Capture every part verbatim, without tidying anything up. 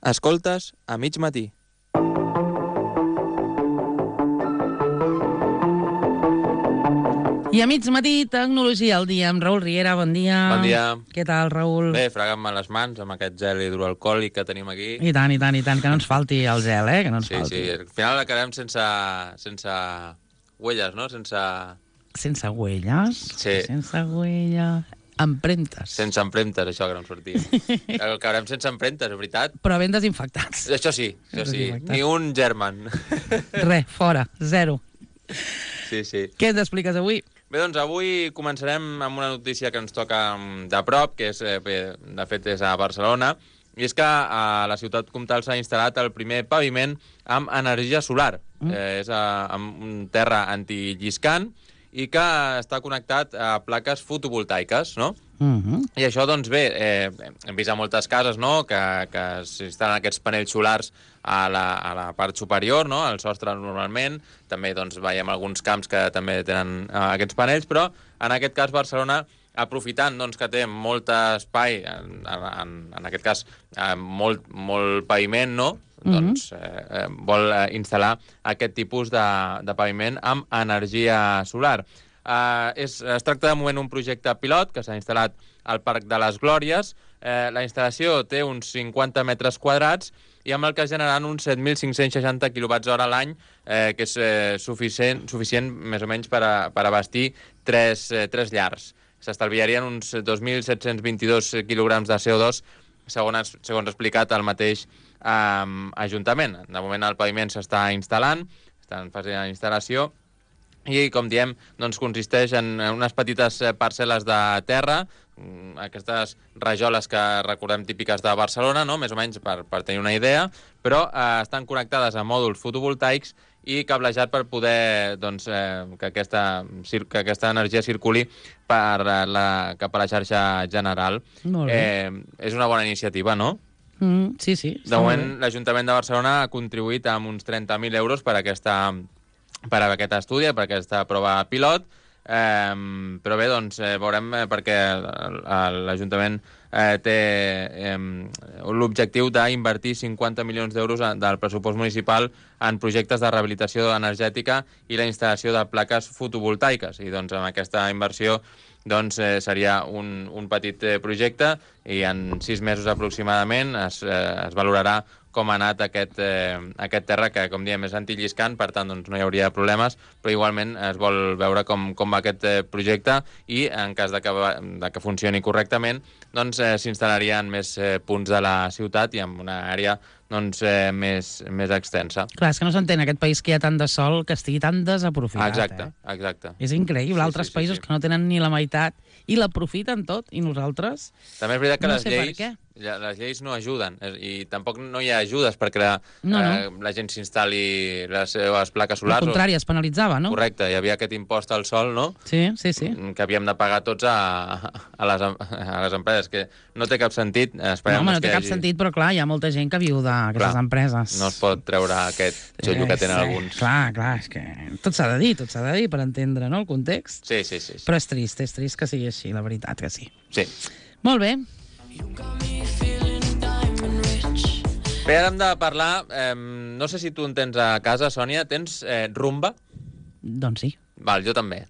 Escoltes a mig matí. I a mig matí, Tecnologia al dia, amb Raül Riera, bon dia. Bon dia. Què tal, Raül? Bé, fregant-me les mans amb aquest gel hidroalcohòlic que tenim aquí. I tant, i tant, i tant, que no ens falti el gel, eh? Que no ens Sí, falti. sí, al final acabem sense, sense huelles, no? Sense, Sense huelles? Sí. Sense huella... Empremtes. sense empremtes, això que no em sortia. Acabarem sense empremtes, és veritat? Però ben desinfectats. Això sí, això sí. Desinfectats. Ni un germen. Res, fora, zero. Sí, sí. Què ens expliques avui? Bé, doncs avui començarem amb una notícia que ens toca de prop, que és, eh, bé, de fet és a Barcelona, i és que a la ciutat comtal s'ha instal·lat el primer paviment amb energia solar. Mm. Eh, és a, amb un terra antilliscant i que està connectat a plaques fotovoltaiques, no? Uh-huh. I això, doncs bé, eh, hem vist a moltes cases, no?, que, que s'instal·len aquests panells solars a la, a la part superior, no?, al sostre normalment. També, doncs, veiem alguns camps que també tenen eh, aquests panells, però en aquest cas Barcelona, aprofitant doncs, que té molt espai, en, en, en aquest cas eh, molt, molt paviment, no?, mm-hmm. doncs eh, vol eh, instal·lar aquest tipus de, de paviment amb energia solar. Uh, és, es tracta de moment un projecte pilot que s'ha instal·lat al Parc de les Glòries. Eh, la instal·lació té uns cinquanta metres quadrats i amb el que generaran uns set mil cinc-cents seixanta quilowatts hora a l'any, eh, que és eh, suficient, suficient més o menys per, a, per abastir tres, eh, tres llars. S'estalviarien uns dos mil set-cents vint-i-dos quilograms de C O dos, segons, segons explicat el mateix eh, Ajuntament. De moment el paviment s'està instal·lant, està en fase d'instal·lació, i, com diem, doncs, consisteix en unes petites parcel·les de terra, aquestes rajoles que recordem típiques de Barcelona, no?, més o menys per, per tenir una idea, però eh, estan connectades a mòduls fotovoltaics i cablejat per poder doncs, eh, que, aquesta, que aquesta energia circuli per la, cap a la xarxa general. Molt bé. Eh, és una bona iniciativa, no? Mm, sí, sí. De moment, l'Ajuntament de Barcelona ha contribuït amb uns trenta mil euros per aquesta per a aquest estudi, per a aquesta prova pilot, eh, però bé, doncs eh, veurem eh, perquè l'Ajuntament eh, té eh, l'objectiu d'invertir cinquanta milions d'euros del pressupost municipal en projectes de rehabilitació energètica i la instal·lació de plaques fotovoltaiques, i doncs amb aquesta inversió doncs eh, seria un, un petit eh, projecte i en sis mesos aproximadament es, eh, es valorarà com ha anat aquest, eh, aquest terra, que, com diem, és antilliscant, per tant, doncs, no hi hauria problemes, però igualment es vol veure com, com va aquest eh, projecte i, en cas de que, de que funcioni correctament, doncs eh, s'instal·larien més eh, punts de la ciutat i en una àrea doncs, eh, més, més extensa. Clar, és que no s'entén aquest país que hi ha tant de sol que estigui tan desaprofitat. Exacte, eh? exacte. És increïble, Sí, altres sí, sí, països sí. que no tenen ni la meitat i l'aprofiten tot, i nosaltres... També és veritat que No les sé per lleis, què. ja- les lleis no ajuden, eh, i tampoc no hi ha ajudes perquè la, No, no. eh, la gent s'instal·li les seves plaques Al solars. contrari, es penalitzava, no? Correcte, hi havia aquest impost al sol, no?, Sí, sí, sí. que havíem de pagar tots a, a, les, a les empreses, que no té cap sentit. No, Esperem home, no té que cap hagi... sentit, però clar, hi ha molta gent que viu d'aquestes Clar, empreses. No es pot treure aquest xollo que tenen Eh, alguns. Clar, clar, és que tot s'ha de dir, tot s'ha de dir per entendre, no?, el context. Sí, sí, sí. sí. Però és trist, és trist que sigui així, la veritat que sí. sí. Molt bé. Bé, ara hem de parlar... Eh, no sé si tu en tens a casa, Sònia. Tens eh, Rumba? Doncs sí. Val, jo també.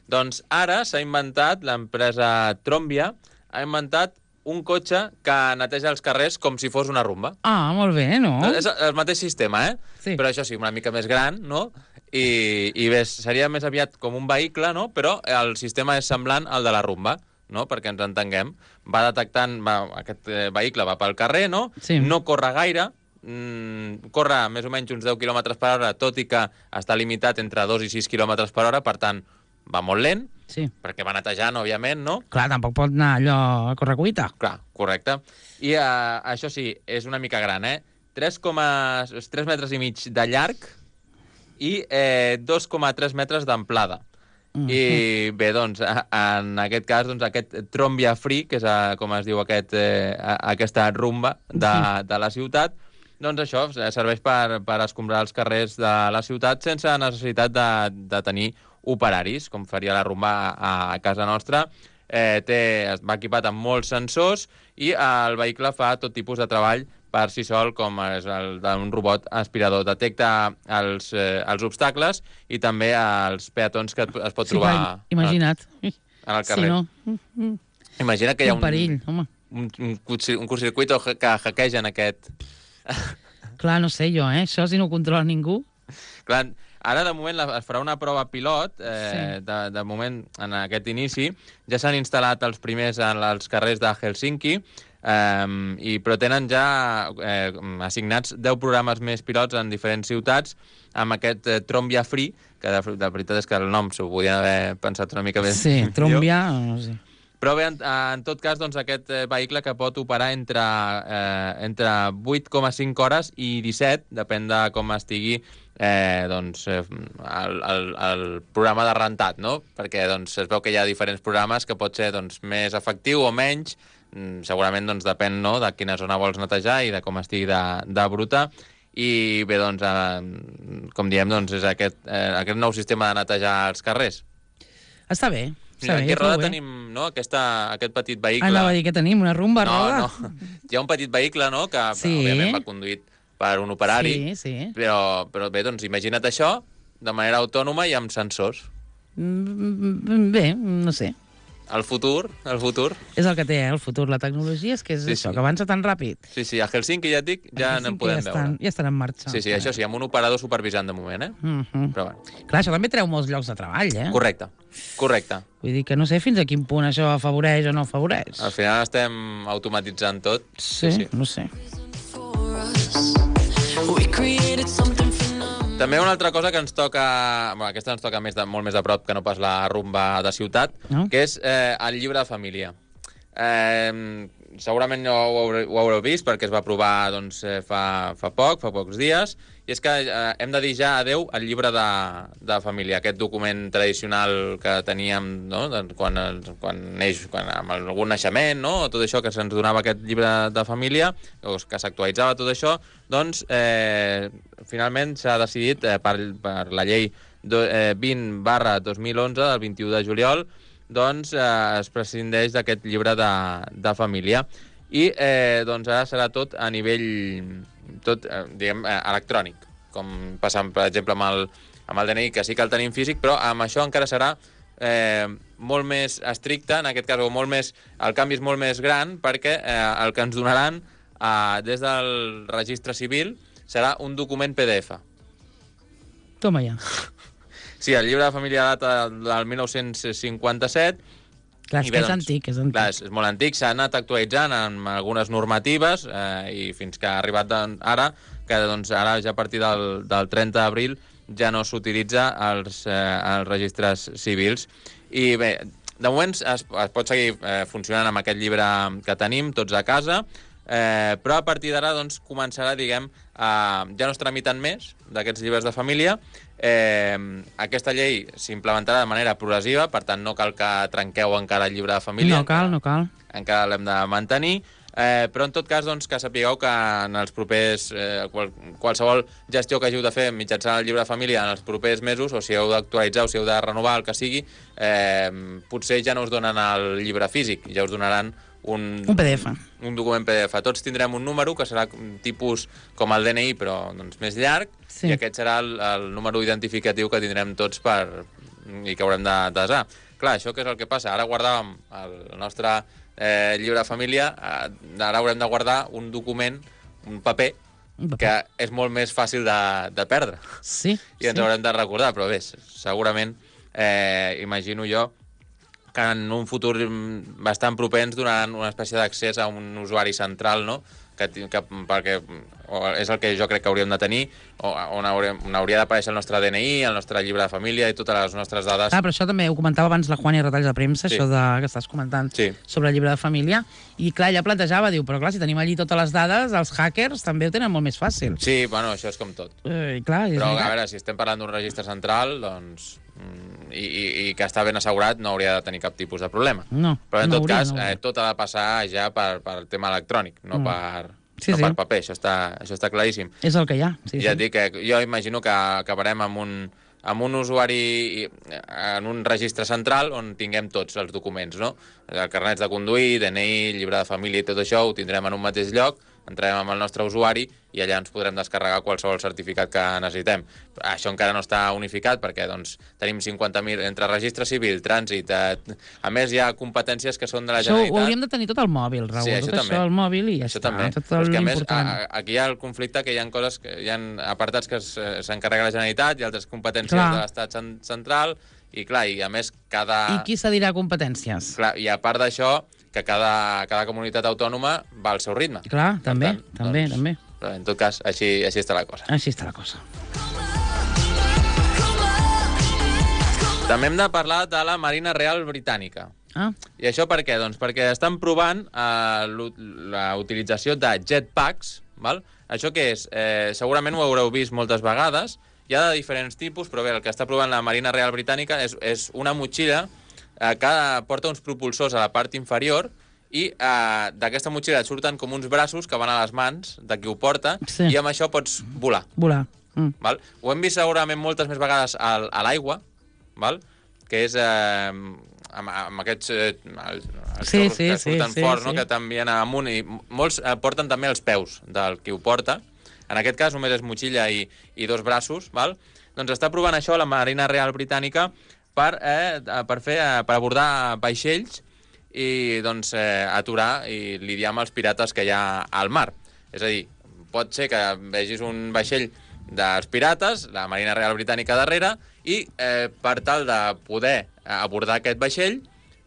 Doncs ara s'ha inventat, l'empresa Trombia, ha inventat un cotxe que neteja els carrers com si fos una rumba. Ah, molt bé, no? És el mateix sistema, eh? Sí. Però això sí, una mica més gran, no? I, i bé, seria més aviat com un vehicle, no? Però el sistema és semblant al de la rumba, no? Perquè ens entenguem. Va detectant... Va, aquest eh, vehicle va pel carrer, no? Sí. No corre gaire, mm, corre més o menys uns deu quilòmetres per hora, tot i que està limitat entre dos i sis quilòmetres per hora, per tant, va molt lent, Sí. perquè va netejant, òbviament, no? Clar, tampoc pot anar allò a correcuita. Clar, correcte. I eh, això sí, és una mica gran, eh? tres metres i mig de llarg i eh, dos coma tres metres d'amplada. Mm. I bé, doncs, a- en aquest cas, doncs, aquest Trombia Free, que és eh, com es diu aquest, eh, a- aquesta rumba de, de la ciutat, doncs això serveix per, per escombrar els carrers de la ciutat sense necessitat de, de tenir operaris, com faria la rumba a, a casa nostra. Eh, té, va equipat amb molts sensors i el vehicle fa tot tipus de treball per si sol, com és el d'un robot aspirador. Detecta els, eh, els obstacles i també els peatons que es pot Sí, trobar clar, imagina't. en el carrer. Sí, no? Mm, mm. Imagina que hi ha Un perill, un, home. un, un, cursi- un curtcircuito que hackegen aquest... Clar, no sé jo, eh? Això si no ho controla ningú... Clar, ara, de moment, la- es farà una prova pilot. Eh, Sí. de, de moment, en aquest inici, ja s'han instal·lat els primers en els carrers de Helsinki, eh, i, però tenen ja eh, assignats deu programes més pilots en diferents ciutats amb aquest eh, Trombia Free, que de, de veritat és que el nom s'ho podien haver pensat una mica més. Sí, millor. Trombia... No sé. Però bé, en, en tot cas, doncs, aquest eh, vehicle que pot operar entre, eh, entre vuit coma cinc hores i disset, depèn de com estigui eh, doncs, eh, el, el, el programa de rentat, no? Perquè doncs, es veu que hi ha diferents programes que pot ser doncs, més efectiu o menys, mm, segurament doncs, depèn, no?, de quina zona vols netejar i de com estigui de, de bruta. I bé, doncs, eh, com diem, doncs, és aquest, eh, aquest nou sistema de netejar els carrers. Està bé. Mira, Està bé, aquí a Roda prou bé. tenim, no?, aquesta, aquest petit vehicle. Anava a dir que tenim una rumba a No, Roda. no. Hi ha un petit vehicle, no?, que Sí. òbviament va conduït per un operari, Sí, sí. però, però bé, doncs imagina't això de manera autònoma i amb sensors. Mm, Bé, no sé. El futur, el futur... És el que té, eh, el futur. La tecnologia és que és Sí, això, sí. que avança tan ràpid. Sí, sí, a Helsinki, ja et dic, ja Aquí sí n'en que podem ja estan, veure. Ja estan en marxa. Sí, sí, això sí, amb un operador supervisant de moment, eh? Mm -hmm. Però bueno, Clar, això també treu molts llocs de treball, eh? correcte, correcte. Vull dir que no sé fins a quin punt això afavoreix o no afavoreix. Al final estem automatitzant tot. Sí, sí, no sé. També una altra cosa que ens toca... Bueno, aquesta ens toca més de, molt més de prop que no pas la rumba de ciutat, No? que és eh, el llibre de família. Eh, segurament ho haureu, ho haureu vist perquè es va aprovar doncs, eh, fa, fa poc, fa pocs dies, i és que eh, hem de dir ja adeu al llibre de, de família, aquest document tradicional que teníem, no?, doncs, quan, quan neix, quan, amb algun naixement, no?, tot això que se'ns donava aquest llibre de família, o que s'actualitzava tot això, doncs eh, finalment s'ha decidit eh, per, per la llei do, eh, vint barra dos mil onze del vint-i-u de juliol, doncs eh, es prescindeix d'aquest llibre de, de família. I eh, doncs ara serà tot a nivell tot, eh, diguem, eh, electrònic, com passa, per exemple, amb el, amb el D N I, que sí que el tenim físic, però amb això encara serà eh, molt més estricte, en aquest cas, o molt més, el canvi és molt més gran, perquè eh, el que ens donaran eh, des del registre civil serà un document P D F. Toma ja. Sí, el llibre de família data del mil nou-cents cinquanta-set. Clar, és I que bé, és doncs, antic, és antic. Clar, és, és molt antic, s'ha anat actualitzant amb algunes normatives eh, i fins que ha arribat de, ara, que doncs, ara ja a partir del, del trenta d'abril ja no s'utilitza als, eh, als registres civils. I bé, de moment es, es pot seguir eh, funcionant amb aquest llibre que tenim tots a casa, eh, però a partir d'ara doncs, començarà, diguem, eh, ja no es tramiten més d'aquests llibres de família. Eh, aquesta llei s'implementarà de manera progressiva, per tant no cal que trenqueu encara el llibre de família. No cal, no cal. Encara l'hem de mantenir, eh, però en tot cas doncs, que sapigueu que en els propers eh, qual, qualsevol gestió que hàgiu de fer mitjançant el llibre de família en els propers mesos, o si heu d'actualitzar o si heu de renovar el que sigui, eh, potser ja no us donen el llibre físic, ja us donaran un, Un P D F. un document P D F. Tots tindrem un número que serà tipus com el D N I, però doncs, més llarg, Sí. i aquest serà el, el número identificatiu que tindrem tots per, i que haurem de desar. Clar, això què és el que passa? Ara guardàvem el nostre eh, llibre de família, eh, ara haurem de guardar un document, un paper, Un paper. que és molt més fàcil de, de perdre. Sí, I ens sí. haurem de recordar, però bé, segurament, eh, imagino jo, que en un futur bastant proper ens donaran una espècie d'accés a un usuari central, no?, que, que, perquè o és el que jo crec que hauríem de tenir, o, on, hauríem, on hauria d'aparèixer el nostre D N I, el nostre llibre de família i totes les nostres dades. Ah, però això també ho comentava abans la Juana i Retalls de Premsa, Sí. això de, que estàs comentant Sí. sobre el llibre de família, i clar, ella plantejava, diu, però clar, si tenim allí totes les dades, els hackers també ho tenen molt més fàcil. Sí, bueno, això és com tot. Eh, i clar, és Però, a veritat. veure, si estem parlant d'un registre central, doncs, mm, i, i, i que està ben assegurat, no hauria de tenir cap tipus de problema. No, Però, en no tot hauria, cas, no hauria. eh, tot ha de passar ja per, per tema electrònic, no, Mm. per, Sí, no sí. per paper. Això està, això està claríssim. És el que hi ha. Sí, Ja et sí. dic que jo imagino que acabarem amb un, amb un usuari i- en un registre central on tinguem tots els documents, no? El carnet de conduir, D N I, llibre de família i tot això ho tindrem en un mateix lloc, entrarem amb el nostre usuari i allà ens podrem descarregar qualsevol certificat que necessitem. Això encara no està unificat perquè doncs, tenim cinquanta mil entre registre civil, trànsit... Eh, a més, hi ha competències que són de la això Generalitat. Ho hauríem de tenir tot al mòbil, Raül. Sí, tot això això al mòbil i ja això està. També. Tot Però és que, a més, l'important. a, aquí hi ha el conflicte que hi ha coses, que hi ha apartats que s'encarrega la Generalitat i altres competències clar. de l'Estat central i, clar, i a més, cada... I qui cedirà competències? Clar, i a part d'això, que cada, cada comunitat autònoma va al seu ritme. Clar, també, tant, també, doncs, també. Però en tot cas, així, així està la cosa. Així està la cosa. També hem de parlar de la Marina Real Britànica. Ah. I això per què? Doncs perquè estan provant eh, la utilització de jetpacks, val? Això què és? Eh, segurament ho haureu vist moltes vegades, hi ha de diferents tipus, però bé, el que està provant la Marina Real Britànica és, és una motxilla eh, que porta uns propulsors a la part inferior i eh, d'aquesta motxilla et surten com uns braços que van a les mans de qui ho porta, sí. i amb això pots volar. Volar. Mm. Val? Ho hem vist segurament moltes més vegades al, a l'aigua, val? Que és eh, amb, amb aquests eh, els, els sí, sí, sí, que surten sí, forts, sí, no? sí. Que t'envien amunt, i molts eh, porten també els peus del qui ho porta. En aquest cas només és motxilla i, i dos braços, val? Doncs està provant això la Marina Real Britànica per, eh, per, fer, eh, per abordar vaixells i doncs, eh, aturar i lidiar amb els pirates que hi ha al mar. És a dir, pot ser que vegis un vaixell dels pirates, la Marina Real Britànica darrere, i eh, per tal de poder abordar aquest vaixell,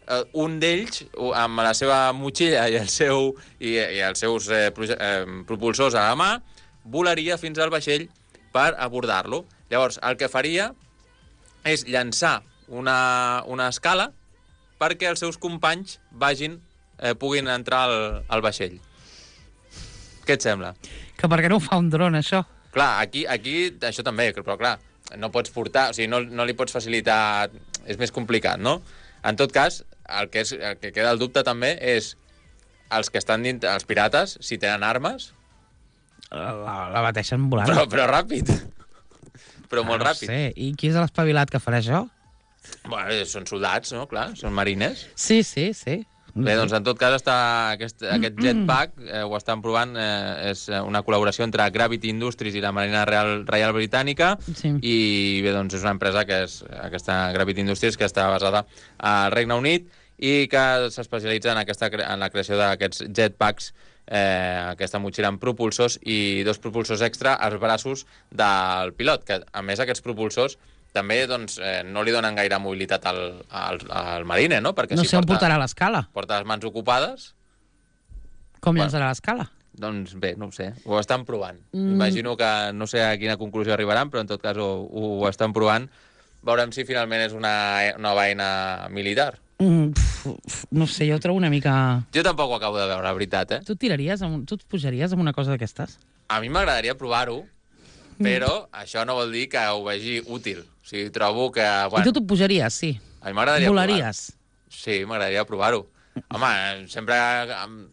eh, un d'ells, amb la seva motxilla i, el seu, i, i els seus eh, eh, propulsors a la mà, volaria fins al vaixell per abordar-lo. Llavors, el que faria és llançar una, una escala perquè els seus companys vagin, eh, puguin entrar al, al vaixell. Què et sembla? Que per què no ho fa un dron, això? Clar, aquí, aquí això també, però clar, no pots portar, o sigui, no, no li pots facilitar, és més complicat, no? En tot cas, el que, és, el que queda el dubte també és els que estan dins, els pirates, si tenen armes... La, la bateixen volant. Però, però ràpid. Però molt no ràpid. Sé. I qui és l'espavilat que farà això? Bueno, són soldats, no? Clar, són marines. Sí, sí, sí. Bé, doncs en tot cas està aquest, aquest jetpack eh, ho estan provant, eh, és una col·laboració entre Gravity Industries i la Marina Real, Real Britànica, sí. I bé, doncs és una empresa que és aquesta Gravity Industries que està basada al Regne Unit i que s'especialitza en, aquesta, en la creació d'aquests jetpacks, eh, aquesta motxilla amb propulsors i dos propulsors extra als braços del pilot, que a més aquests propulsors també doncs, eh, no li donen gaire mobilitat al, al, al marine, no? Perquè no si sé on porta, portarà l'escala. Porta les mans ocupades. Com bueno, llançarà l'escala? Doncs bé, no ho sé, ho estan provant. Mm. Imagino que no sé a quina conclusió arribaran, però en tot cas ho, ho estan provant. Veurem si finalment és una nova eina militar. Mm, pf, no sé, jo ho trobo una mica... Jo tampoc ho acabo de veure, la veritat, eh? Tu tiraries, amb, tu et pujaries amb una cosa d'aquestes? A mi m'agradaria provar-ho, però mm. això no vol dir que ho vegi útil. O sigui, trobo que... Bueno, I tu t'ho pujaries, sí? A mi m'agradaria provar-ho. Volaries? Sí, m'agradaria provar-ho. Home, sempre amb,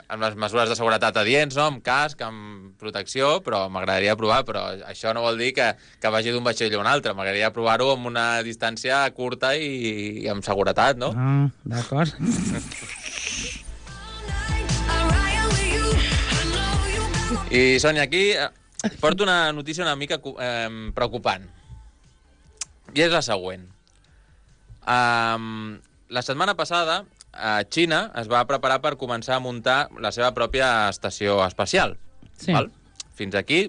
amb les mesures de seguretat adients, no? Amb casc, amb protecció, però m'agradaria provar. Però això no vol dir que, que vagi d'un vaixell a un altre. M'agradaria provar-ho amb una distància curta i, i amb seguretat, no? Ah, d'acord. I, Sònia, aquí porto una notícia una mica eh, preocupant. I és la següent. Um, la setmana passada, a Xina es va preparar per començar a muntar la seva pròpia estació espacial. Sí. Val? Fins aquí,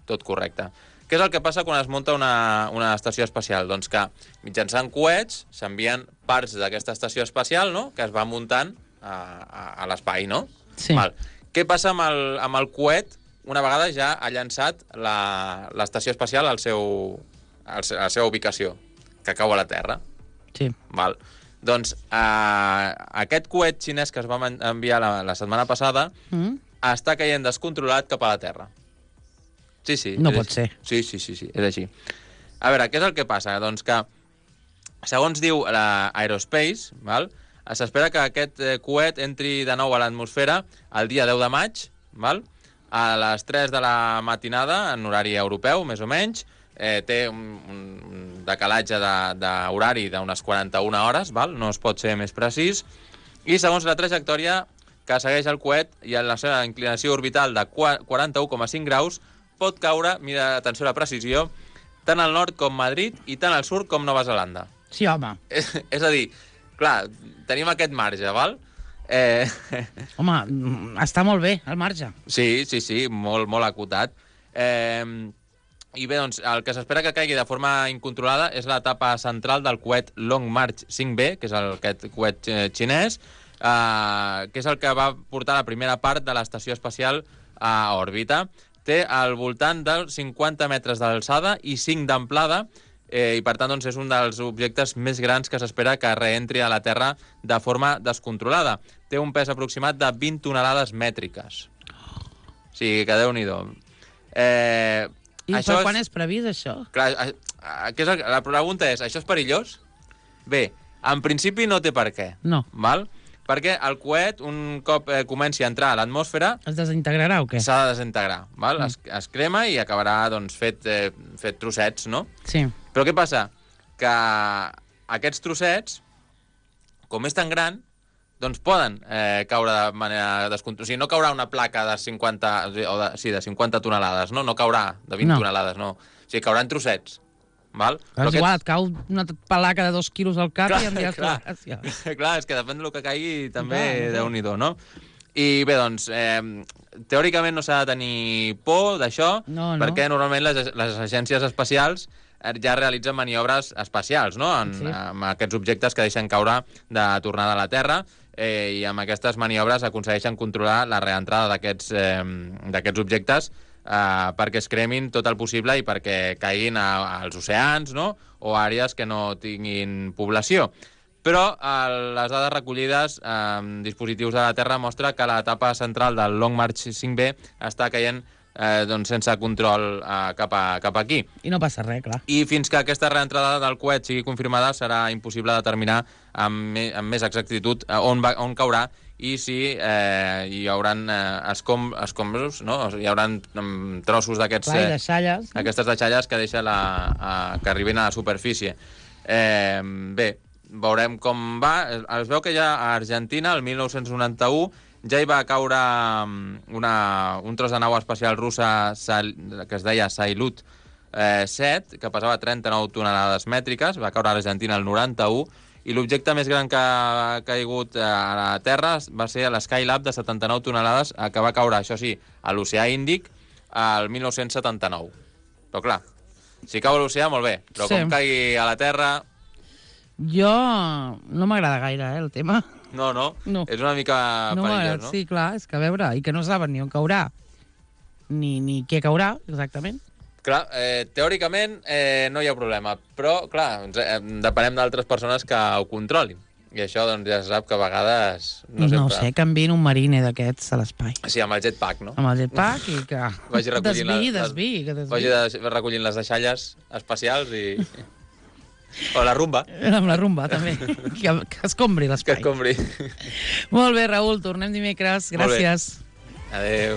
tot correcte. Què és el que passa quan es munta una, una estació espacial? Doncs que mitjançant coets s'envien parts d'aquesta estació espacial, no?, que es va muntant a, a, a l'espai, no? Sí. Val. Què passa amb el, amb el coet una vegada ja ha llançat l'estació espacial al seu, al, a la seva ubicació, que cau a la Terra? Sí. Val. Doncs eh, aquest coet xinès que es va enviar la, la setmana passada mm. està caient descontrolat cap a la Terra. Sí, sí. No pot ser. Sí, sí, sí, sí, és així. A veure, què és el que passa? Doncs que, segons diu l'Aerospace, val, s'espera que aquest eh, coet entri de nou a l'atmosfera el dia deu de maig, val, a les tres de la matinada, en horari europeu, més o menys. Eh, té un, un decalatge d'horari d'unes quaranta-una hores, val? No es pot ser més precís, i segons la trajectòria que segueix el coet i en la seva inclinació orbital de quaranta-u coma cinc graus pot caure, mira, atenció a la precisió, tant al nord com Madrid i tant al sud com Nova Zelanda. Sí, home. És, és a dir, clar, tenim aquest marge, val? Eh... Home, està molt bé, el marge. Sí, sí, sí, molt, molt acotat. Eh... I bé, doncs, el que s'espera que caigui de forma incontrolada és l'etapa central del coet Long March cinc B, que és el, aquest coet xinès, eh, que és el que va portar la primera part de l'estació espacial a òrbita. Té al voltant dels cinquanta metres d'alçada i cinc d'amplada, eh, i per tant doncs, és un dels objectes més grans que s'espera que reentri a la Terra de forma descontrolada. Té un pes aproximat de vint tonelades mètriques. O sigui, que Déu-n'hi-do. Eh... I això per quan és previst, això? Clar, és el, la pregunta és, això és perillós? Bé, en principi no té per què. No. Val? Perquè el coet, un cop eh, comenci a entrar a l'atmosfera... Es desintegrarà o què? S'ha de desintegrar, val? Mm. Es, es crema i acabarà doncs, fet, eh, fet trossets, no? Sí. Però què passa? Que aquests trossets, com és tan gran, doncs poden eh, caure de manera descontrolada. O sigui, no caurà una placa de cinquanta, o de, sí, de cinquanta tonelades, no? No caurà de vint no. tonelades, no. O sigui, cauran trossets. Val? Però és igual, et cau una placa de dos quilos al cap clar, i em diràs clar, gràcia. Clar, és que depèn del que caigui també clar, Déu-n'hi-do, no? I bé, doncs, eh, teòricament no s'ha de tenir por d'això, no, no. perquè normalment les, les agències espacials ja realitzen maniobres espacials, no? En, sí. Amb aquests objectes que deixen caure de tornada a la Terra, eh, i amb aquestes maniobres aconsegueixen controlar la reentrada d'aquests eh, d'aquests objectes eh, perquè es cremin tot el possible i perquè caiguin a, als oceans, no? O a àrees que no tinguin població. Però eh, les dades recollides amb eh, dispositius de la Terra mostra que l'etapa central del Long March cinc B està caient eh, doncs sense control eh, cap, a, cap aquí. I no passa res, clar. I fins que aquesta reentrada del coet sigui confirmada serà impossible determinar amb, me, amb més exactitud on, va, on caurà i si eh, hi haurà eh, escom, escombros, no? Hi haurà um, trossos d'aquests... Clar, i deixalles. Eh, aquestes deixalles que deixa la, a, que arriben a la superfície. Eh, bé, veurem com va. Es veu que ja a Argentina, el mil nou-cents noranta-u, ja hi va caure una, un tros de nau espacial russa que es deia Salyut eh, set, que pesava trenta-nou tonelades mètriques, va caure a l'Argentina el noranta-u, i l'objecte més gran que ha caigut a la Terra va ser l'Skylab de setanta-nou tonelades, que va caure, això sí, a l'oceà Índic el mil nou-cents setanta-nou. Però clar, si cau a l'oceà, molt bé, però sí. Com caigui a la Terra... Jo no m'agrada gaire, eh, el tema. No, no, no. És una mica no perillós, no? Sí, clar, és que a veure, i que no saben ni on caurà, ni, ni què caurà, exactament. Clar, eh, teòricament eh, no hi ha problema, però, clar, eh, depenem d'altres persones que ho controlin. I això, doncs, ja se sap que a vegades... No, no sempre... sé, que enviïn un marine d'aquests a l'espai. Sí, amb el jetpack, no? Amb el jetpack i que... Vagi recollint desviï, les, desviï, que desviï. Vagi de, recollint les deixalles espacials i... O la rumba. Amb la rumba, també. Que, que escombri l'espai. Que escombri. Molt bé, Raül, tornem dimecres. Gràcies. Adéu.